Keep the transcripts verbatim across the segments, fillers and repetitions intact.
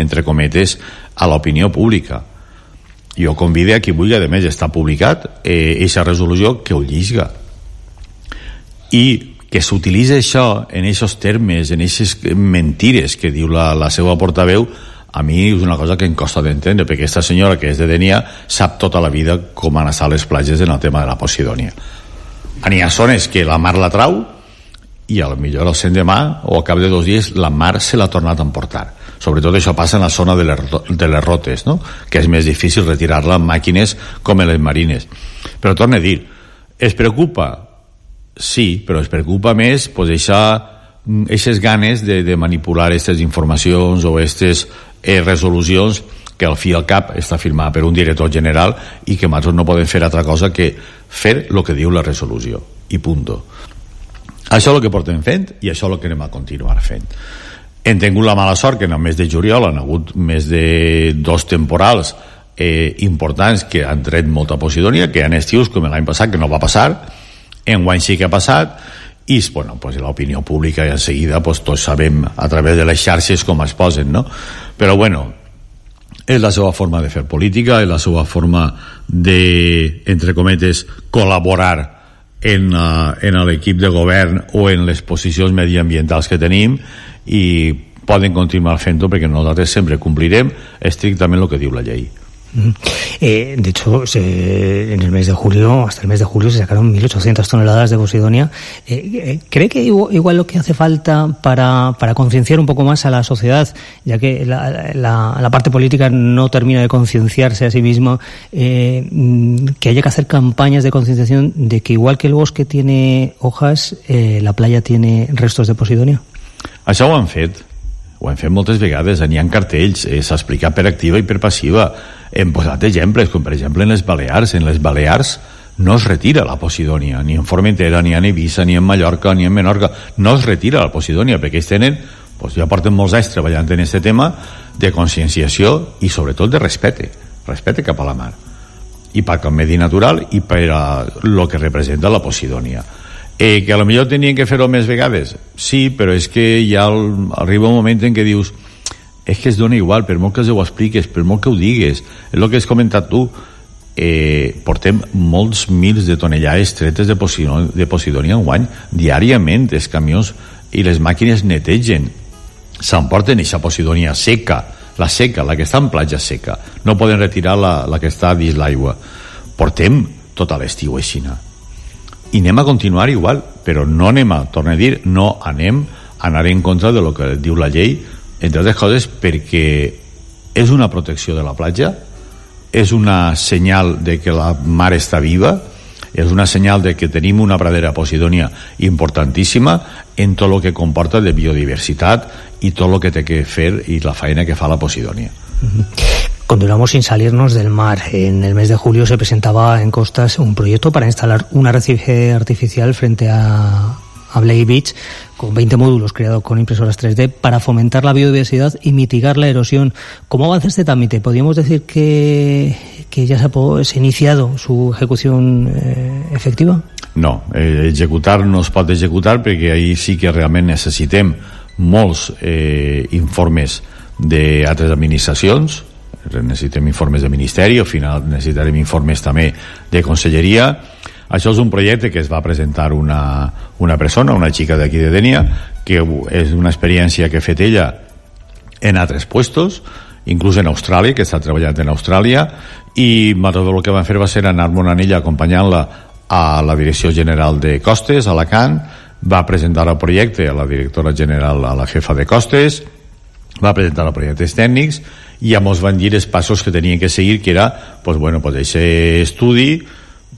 entre cometes, a l'opinió pública. Jo convido a qui vulgui, a més està publicat aquesta eh, resolució, que ho lliga, i que s'utilitza això en aquests termes, en aquestes mentires que diu la, la seva portaveu. A mi és una cosa que em costa d'entendre, perquè aquesta senyora, que és de Denia, sap tota la vida com han estat les platges en el tema de la Posidònia. N'hi ha zones que la mar la trau i a lo millor al cent de mà o al cap de dos dies la mar se l'ha tornat a emportar. Sobretot això passa en la zona de les, de les rotes, no? Que és més difícil retirar-la amb màquines com en les marines. Però torno a dir, es preocupa? Sí, però es preocupa més pues, aquestes ganes de, de manipular aquestes informacions o aquestes eh, resolucions que al fi i al cap està firmada per un director general i que nosaltres no podem fer altra cosa que fer el que diu la resolució i punto. Això és el que portem fent i això és el que anem a continuar fent. Hem tingut la mala sort que en el mes de juliol han hagut més de dos temporals eh, importants que han tret molta Posidònia, que hi ha estius com l'any passat que no va passar, enguany sí que ha passat, i bueno, pues, l'opinió pública i en seguida pues, tots sabem a través de les xarxes com es posen, no? Però bueno, és la seva forma de fer política, és la seva forma de, entre cometes, col·laborar en, uh, en l'equip de govern o en les posicions mediambientals que tenim, i poden continuar fent-ho perquè nosaltres sempre complirem estrictament el que diu la llei. Eh, de hecho, se, en el mes de julio, hasta el mes de julio, se sacaron mil ochocientas toneladas de Posidonia. Eh, eh, ¿Cree que igual, igual lo que hace falta para, para concienciar un poco más a la sociedad, ya que la, la, la parte política no termina de concienciarse a sí misma, eh, que haya que hacer campañas de concienciación de que igual que el bosque tiene hojas, eh, la playa tiene restos de Posidonia? Això ho han fet. Ho hem fet moltes vegades, n'hi ha cartells, eh, s'ha explicat per activa i per passiva. Hem posat exemples, com per exemple en les Balears. En les Balears no es retira la Posidònia, ni en Formentera, ni en Eivissa, ni en Mallorca, ni en Menorca. No es retira la Posidònia, perquè ells tenen, doncs ja porten molts anys treballant en aquest tema de conscienciació i sobretot de respecte, respecte cap a la mar. I per al medi natural i per a lo que representa la Posidònia. Eh, que a lo millor tenien que fer-ho més vegades, sí, però és que ja arriba un moment en què dius és que es dona igual, per molt que ho expliques, per molt que ho digues, és el que has comentat tu, eh, portem molts mils de tonellades tretes de Posidònia, de Posidònia en guany, diàriament els camions i les màquines netegen, s'emporten aquesta Posidònia seca, la seca, la que està en platja seca, no poden retirar la, la que està dins l'aigua. Portem tota l'estiu aixina. I anem a continuar igual, però no anem a, torno a dir, no anem a anar en contra de lo que diu la llei, entre altres coses perquè és una protecció de la platja, és una senyal de que la mar està viva, és una senyal de que tenim una pradera Posidònia importantíssima en tot el que comporta de biodiversitat i tot el que té que fer i la feina que fa la Posidònia. Continuamos sin salirnos del mar. En el mes de julio se presentaba en Costas un proyecto para instalar un arrecife artificial frente a, a Blake Beach con veinte módulos creados con impresoras tres D para fomentar la biodiversidad y mitigar la erosión. ¿Cómo avanza este trámite? ¿Podríamos decir que, que ya se ha, se ha iniciado su ejecución eh, efectiva? No, eh, executar no es pot executar perquè ahí sí que realment necessitem molts eh, informes d'altres administracions, necessitem informes de ministeri, al final necessitarem informes també de conselleria. Això és un projecte que es va presentar una, una persona, una xica d'aquí de Denia, que és una experiència que ha fet ella en altres puestos, inclús en Austràlia, que està treballant en Austràlia, i el que van fer va ser anar-me'n a ella acompanyant-la a la Direcció General de Costes, a Alacant, va presentar el projecte a la directora general, a la jefa de Costes, va presentar els projectes tècnics i ja ens van dir els passos que tenien que seguir, que era pues, bueno, pues, aquest estudi,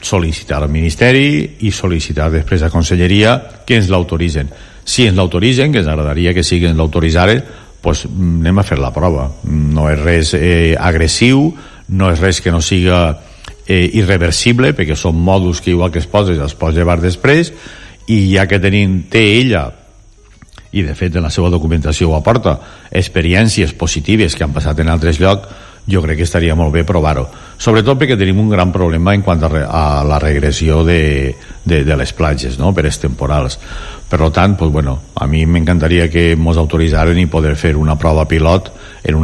sol·licitar al Ministeri i sol·licitar després a Conselleria que ens l'autoritzen. Si ens l'autoritzen, que ens agradaria que sí que ens l'autoritzaren, pues, anem a fer la prova. No és res eh, agressiu, no és res que no siga eh, irreversible, perquè són mòduls que igual que es poses els pots llevar després, i ja que tenim, té ella, i de fet en la seva documentació ho aporta, experiències positives que han passat en altres llocs, jo crec que estaria molt bé provar-ho, sobretot perquè tenim un gran problema en quant a, re, a la regressió de, de, de les platges, no? Per els temporals. Per tant, pues, bueno, a mi m'encantaria que ens autoritzaren i poder fer una prova pilot en un